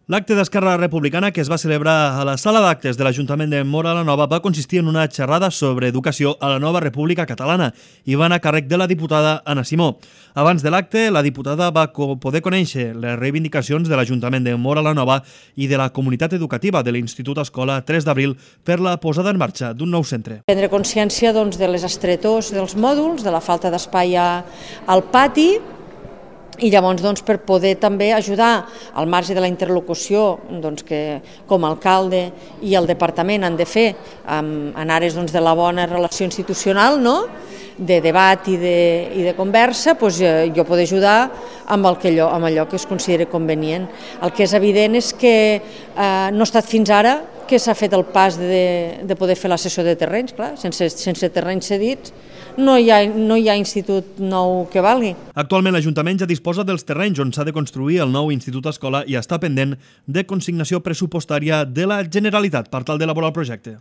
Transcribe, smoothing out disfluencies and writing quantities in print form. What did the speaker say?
L'acte d'Esquerra Republicana que es va celebrar a la sala d'actes de l'Ajuntament de Móra la Nova va consistir en una xerrada sobre educació a la nova República Catalana i va anar a càrrec de la diputada Anna Simó. Abans de l'acte, la diputada va poder conèixer les reivindicacions de l'Ajuntament de Móra la Nova i de la comunitat educativa de l'Institut Escola 3 d'Abril per la posada en marxa d'un nou centre. Prendre consciència de les estretors dels mòduls, de la falta d'espai al pati, i llavors per poder també ajudar al marge de la interlocució que com a alcalde i el departament han de fer en àrees de la bona relació institucional, de debat i de conversa, jo poder ajudar amb allò que es consideri convenient. El que és evident és que no ha estat fins ara que s'ha fet el pas de poder fer la cessió de terrenys. Clar, sense terrenys cedits no hi ha institut nou que valgui. Actualment l'Ajuntament ja disposa dels terrenys on s'ha de construir el nou Institut Escola i està pendent de consignació pressupostària de la Generalitat per tal d'elaborar el projecte.